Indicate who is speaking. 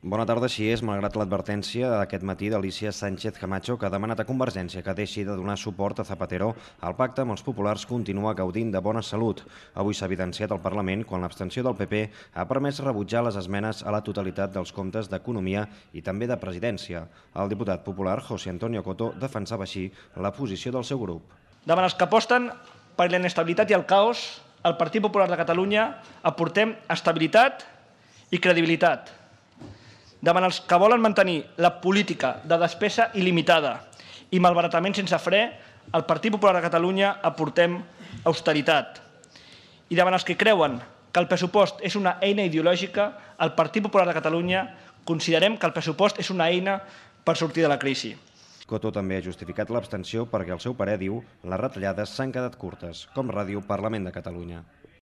Speaker 1: Bona tarda, així és, malgrat l'advertència d'aquest matí d'Alicia Sánchez Camacho, que ha demanat a Convergència que deixi de donar suport a Zapatero, el pacte amb els populars continua gaudint de bona salut. Avui s'ha evidenciat al Parlament quan l'abstenció del PP ha permès rebutjar les esmenes a la totalitat dels comptes d'Economia i també de Presidència. El diputat popular José Antonio Coto defensava així la posició del seu grup.
Speaker 2: Davant els que aposten per la inestabilitat i el caos, al Partit Popular de Catalunya aportem estabilitat i credibilitat. Davant els que volen mantenir la política de despesa il·limitada i malbaratament sense fre, al Partit Popular de Catalunya aportem austeritat. I davant els que creuen que el pressupost és una eina ideològica, al Partit Popular de Catalunya considerem que el pressupost és una eina per sortir de la crisi.
Speaker 1: Coto també ha justificat l'abstenció perquè, al seu parer, diu, les retallades s'han quedat curtes, com Ràdio Parlament de Catalunya.